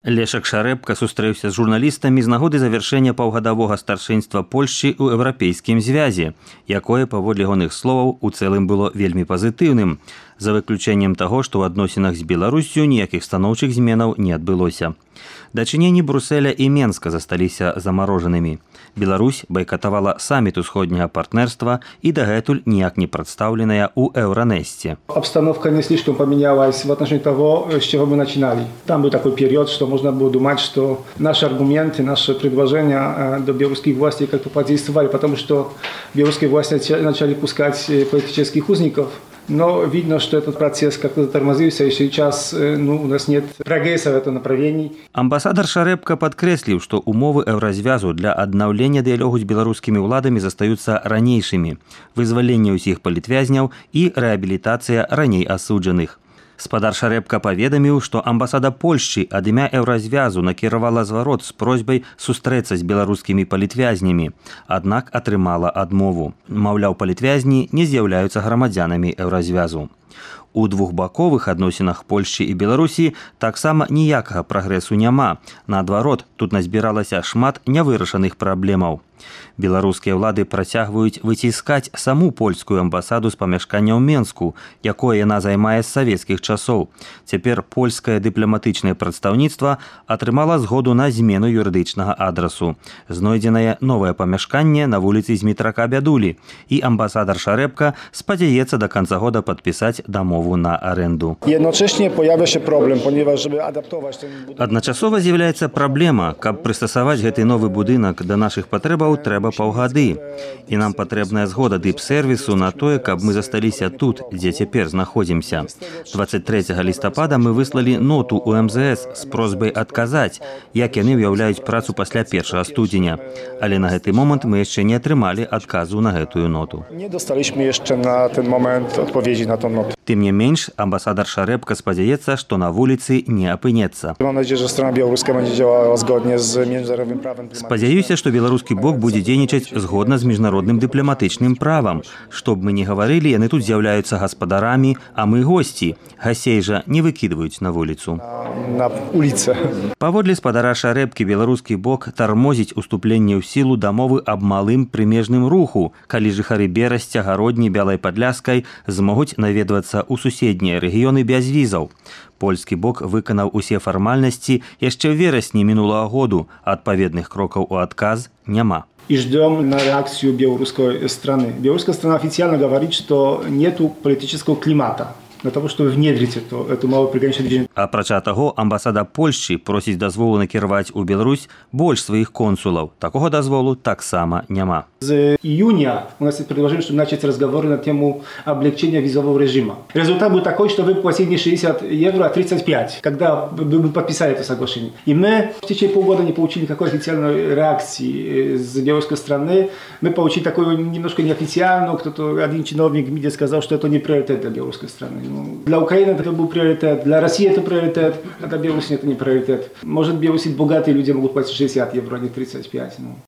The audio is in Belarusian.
Лешак Шарэбка сустрэўся з журналістамі з нагоды завяршэння паўгадавога старшынства Польшчы ў Еўрапейскім звязе, якое, паводле ягоных словаў, у цэлым было вельмі пазітыўным, за выключэннем таго, што ў адносінах з Беларуссю ніякіх станоўчых зменаў не адбылося. Дачыненні Брюсселя і Менска засталіся замарожанымі. Беларусь байкатавала саміт усходняга партнерства і дагэтуль ніяк не прадстаўленая ў Евронесте. Обстановка не слишком поменялась в отношении того, с чего мы начинали. Там был такой период, что можно было думать, что наши аргументы, наши предложения до белорусских властей как-то подействовали, потому что белорусские власти начали пускать политических узников. Но видно, что этот процесс как-то затормозился, и сейчас у нас нет прогресса в этом направлении. Амбасадар Шарэбка падкрэсліў, што умовы Еўразвязу для аднаўлення дыялогу з беларускімі ўладамі застаюцца ранейшымі: вызваленне ўсіх палітвязняў і рэабілітацыя раней асуджаных. Спадар Шарэбка паведаміў, што амбасада Польшчы ад імя Еўразвязу накіравала зварот з просьбай сустрэцца з беларускімі палітвязнямі, аднак атрымала адмову. Маўляў, палітвязні не з'яўляюцца грамадзянамі Еўразвязу. У двухбаковых адносінах Польшчы і Беларусі таксама ніякага прагрэсу няма. Наадварот, тут назбіралася шмат нявырашаных праблемаў. Беларускія ўлады працягваюць выціскаць саму польскую амбасаду з памяшкання ў Менску, якое яна займае з савецкіх часоў. Цяпер польскае дыпламатычнае прадстаўніцтва атрымала згоду на змену юрыдычнага адрасу. Знойдзенае новае памяшканне на вуліцы Змітрака Бядулі, і амбасадар Шарэбка спадзяецца да канца года падпісаць дамову на аренду. Jednocześnie pojawia się problem, ponieważ żeby adaptować ten budynek... Адначасова з'яўляецца праблема. Каб прыстасаваць гэты новы будынак да нашых патрэбаў, трэба паўгады. І нам патрэбная згода дыпсервісу на тое, каб мы засталіся тут, дзе цяпер знаходзімся. 23 лістапада мы выслалі ноту ў МЗС з просьбай адказаць, як яны ўяўляюць працу пасля 1 студзеня. Але на гэты момант мы яшчэ не атрымалі адказу на гэтую ноту. Nie dostaliśmy jeszcze na ten moment odpowiedzi na tą notę. Тым не менш, амбасадар Шарэбка спадзяецца, што на вуліцы не апынецца. Mam nadzieję, że strona białoruska będzie działała zgodnie z międzynarodowym prawem. Спадзяюся, што беларускі бок будзе дзейнічаць згодна з міжнародным дыпламатычным правам. Што б мы не гаварылі, яны тут з'яўляюцца гаспадарамі, а мы госці. Гасцей жа не выкідваюць на вуліцу. Na ulicę. Паводле спадара Шарэбкі, беларускі бок тармозіць уступленне ў сілу дамовы аб малым прымежным руху, калі жыхары Берасця, Гародні, Бялай Падляскай змогуць наведвацца ў суседнія рэгіёны без візаў. Польскі бок выканаў усе фармальнасці яшчэ ў верасні мінулага году, адпаведных крокаў у адказ няма. И ждем на реакцию белорусской страны. Белорусская страна официально говорит, что нету политического климата для того, чтобы внедрить эту малую приграничную движение. Апрача таго, амбасада Польшчы просіць дазволу накіраваць у Беларусь больш сваіх консулаў. Такога дазволу таксама няма. С июня у нас есть предложение, чтобы начать разговоры на тему облегчения визового режима. Результат был такой, что вы платили не 60 евро, а 35, когда вы подписали это соглашение. И мы в течение полгода не получили никакой официальной реакции с белорусской стороны. Мы получили такую немножко неофициальную, кто-то один чиновник в МИДе сказал, что это не приоритет для белорусской страны. Для Украины это был приоритет, для России это приоритет, а для Беларуси это не приоритет. Может, в Беларуси богатые люди могут платить 60 евро, а не 35.